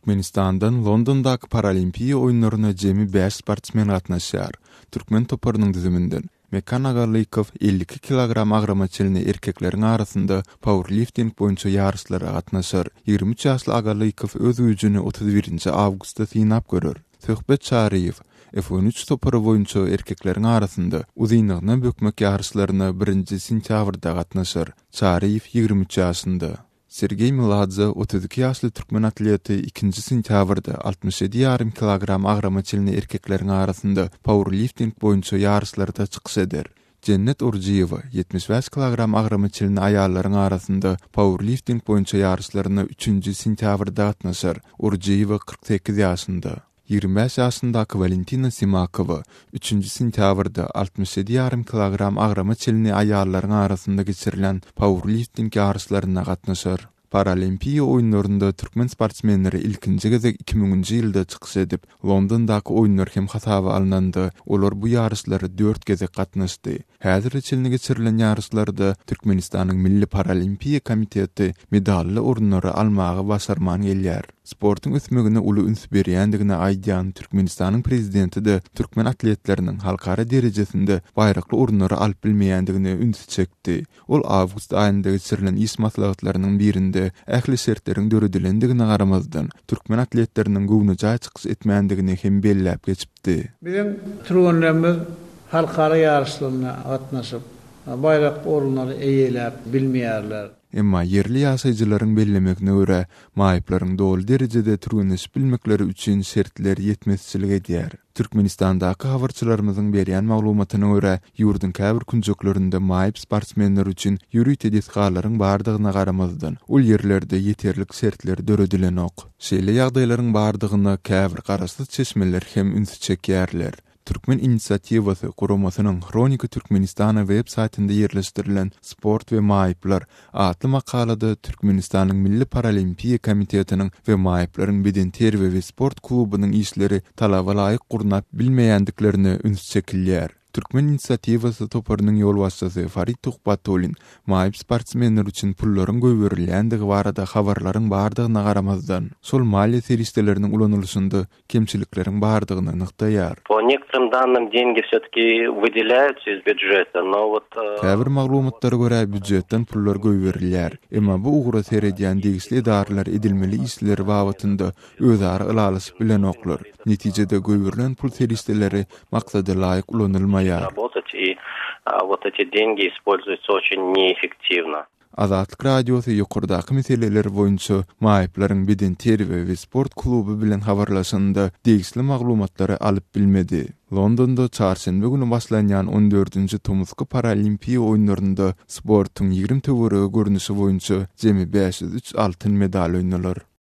Türkmenistandan Londondaky Paralimpiýa oýunlaryna jemi bäş sportsmen gatnaşýar. Türkmen toparynyň düzüminden Mekan Agalykow 52 kilogram agrama çenli erkekleriň arasynda pauerlifting boýunça ýaryşlara gatnaşar. 23 ýaşly Agalykow öz güýjüni 31-nji awgustda synap görer. Söhbet Çaryýew F-on üç topary boýunça erkekleriň arasynda uzynlygyna bökmek ýaryşlaryna birinji sentýabrda gatnaşar. Çaryýew 23 ýaşynda. Sergeý Meladze, 32 ýaşly türkmen atleti ikinji sentýabrda 67 ýarym kilogram agrama çenli erkekleriň arasynda pauerlifting boýunça ýaryşlarda çykyş eder. Jennet Orjiýewa, 75 kilogram agrama çenli aýallaryň arasynda pauerlifting boýunça ýaryşlaryna üçünji sentýabrda gatnaşar. Orjiýewa 48 ýaşynda. 25 ýaşyndaky Walentina Simakowa üçünji sentýabrda 67 ýarym kilogram agrama çenli aýallaryň arasynda geçirilen pauerlifting ýaryşlaryna gatnaşar. Paralimpiýa oýunlarynda türkmen sportsmenleri ilkinji gezek iki müňünji ýylda çykyş edip, Londondaky oýunlar hem hasaba alnanda, olar bu ýaryşlara dört gezek gatnaşdy. Häzire çenli geçirilen ýaryşlarda Türkmenistanyň Milli paralimpiýa komiteti medally orunlary almagy başarman gelýär. Sportuň ösmegine uly üns berýändigini aýdýan Türkmenistanyň Prezidenti-de türkmen atletleriniň halkara derejesinde baýrakly orunlary alyp bilmeýändigine ünsi çekdi. Ol awgust aýynda geçirilen iş maslahatlarynyň birinde ähli şertleriň döredilendigine garamazdan, türkmen atletleriniň göwnejaý çykyş etmändigini hem belläp geçipdi. Biziň türgenlerimiz halkara ýaryşlaryna gatnaşyp, baýrakly orunlary eýeläp bilmeýärler. Emma ýerli ýaşaýjylaryň bellemegine görä, maýyplaryň doly derejede türgenleşip bilmekleri üçin şertler ýetmezçilik edýär. Türkmenistandaky habarçylarymyzyň berýän maglumatyna görä, ýurduň käbir künjeklerinde maýyp sportsmenler üçin ýörite desgalaryň bardygyna garamazdan, ol ýerlerde ýeterlik şertler döredilenok. Şeýle ýagdaýlaryň bardygyna käbir garaşsyz çeşmeler hem ünsi çekýärler. Türkmen inisiatiwasy guramasynyň Hronika Türkmenistana web saýtynda ýerleşdirilen Sport we maýyplar atly makalada Türkmenistanyň Milli paralimpiýa komitetiniň we maýyplaryň bedenterbiýe we sport klubunyň işleri talaba laýyk gurnap bilmeýändiklerine üns çekilýär. Türkmen inisiatiwasy toparynyň ýolbaşçysy Farid Tuhbatullin maýyp sportsmenler üçin pullaryň goýberilýändigi barada habarlaryň bardygyna garamazdan, şol maliýe serişdeleriniň ulanylyşynda kemçilikleriň bardygyny nygtaýar. Po nektorym dannym dengi wsýotki wydelýaýutsa iz býudžeta, no wot. Käbir maglumatlara görä, býudžetden pullar goýberilýär. Emma bu ugra seredýän degişli edaralar edilmeli işleri babatynda özara ylalaşyp bilenoklar. Netijede goýberilen pul serişdeleri maksada laýyk ulanylmaýar. Azatlyk Radiosy ýokardaky meseleler boýunça maýyplaryň bedenterbiýe we sport kluby bilen habarlaşanda degişli maglumatlary alyp bilmedi. Londonda çarşenbe güni başlanýan on dördünji tomusky Paralimpiýa oýunlarynda sportuň 20 töweregi görnüşi boýunça jemi 503 altyn medal oýnalar.